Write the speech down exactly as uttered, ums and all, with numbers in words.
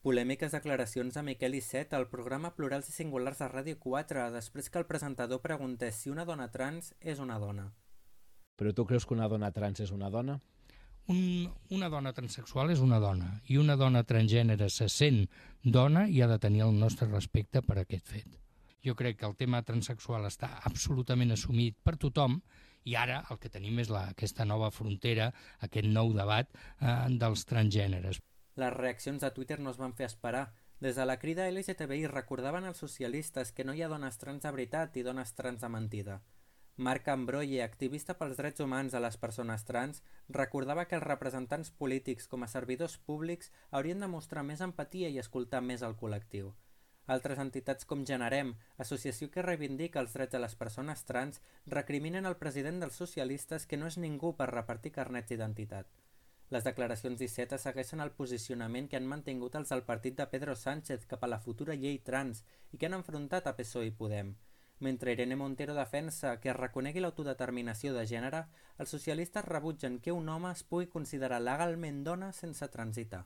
Polèmiques declaracions de Miquel Iceta al programa Plurals i Singulars de Ràdio quatre, després que el presentador preguntés si una dona trans és una dona. Però tu creus que una dona trans és una dona? Un, una dona transexual és una dona i una dona transgènere se sent dona i ha de tenir el nostre respecte per aquest fet. Jo crec que el tema transexual està absolutament assumit per tothom i ara el que tenim és la, aquesta nova frontera, aquest nou debat eh, dels transgèneres. Les reaccions de Twitter no es van fer esperar. Des de la crida L G T B I recordaven als socialistes que no hi ha dones trans de veritat i dones trans de mentida. Marc Ambroye, activista pels drets humans de les persones trans, recordava que els representants polítics com a servidors públics haurien de mostrar més empatia i escoltar més el col·lectiu. Altres entitats com Generem, associació que reivindica els drets de les persones trans, recriminen al president dels socialistes que no és ningú per repartir carnets d'identitat. Les declaracions d'Iceta segueixen el posicionament que han mantingut els del partit de Pedro Sánchez cap a la futura llei trans i que han enfrontat a P S O E i Podem. Mentre Irene Montero defensa que es reconegui l'autodeterminació de gènere, els socialistes rebutgen que un home es pugui considerar legalment dona sense transitar.